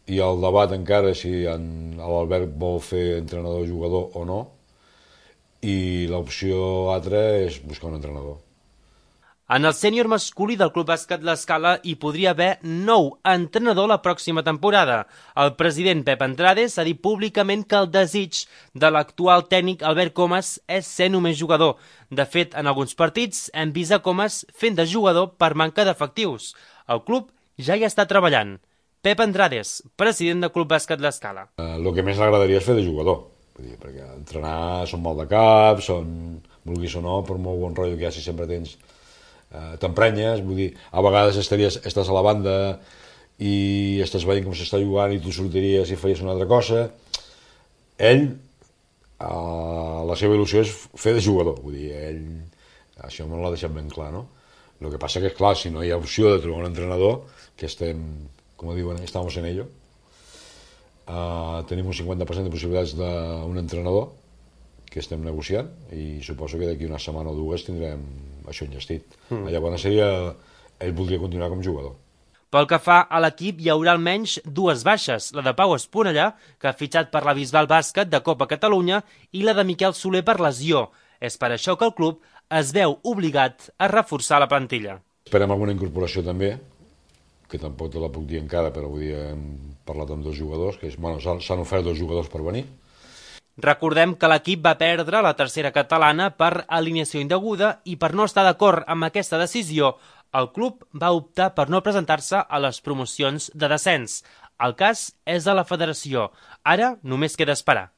hi ha el debat encara si l'Albert vol fer entrenador-jugador o no, i l'opció altra és buscar un entrenador. En el sènior masculí del Club Bàsquet L'Escala hi podria haver nou entrenador la pròxima temporada. El president Pep Andrades ha dit públicament que el desig de l'actual tècnic Albert Comas és ser només jugador. De fet, en alguns partits hem vist a Comas fent de jugador per manca d'efectius. El club ja hi està treballant. Pep Andrades, president del Club Bàsquet L'Escala. El que més l'agradaria és fer de jugador, vull dir, perquè entrenar són mal de cap, vulguis o no, per molt bon rotllo que hi ha, si sempre t'emprenyes, vull dir, a vegades estàs a la banda i estàs veient com s'està jugant i tu sortiries i feies una altra cosa. Ell, la seva il·lusió és fer de jugador, vull dir, això me l'ha deixat ben clar, no? El que passa que, clar, si no hi ha opció de trobar un entrenador, que estem, com diuen, estamos en ello, tenim un 50% de possibilitats d'un entrenador que estem negociant i suposo que d'aquí una setmana o dues tindrem això enllestit. Llavors ell voldria continuar com jugador. Pel que fa a l'equip, hi haurà almenys dues baixes, la de Pau Esponellà, que ha fitxat per la Bisbal Bàsquet de Copa Catalunya, i la de Miquel Soler per lesió. És per això que el club es veu obligat a reforçar la plantilla. Esperem alguna incorporació també, que tampoc te la puc dir encara, però avui hem parlat amb 2 jugadors, que s'han ofert 2 jugadors per venir. Recordem que l'equip va perdre la tercera catalana per alineació indeguda i per no estar d'acord amb aquesta decisió, el club va optar per no presentar-se a les promocions de descens. El cas és de la federació. Ara només queda esperar.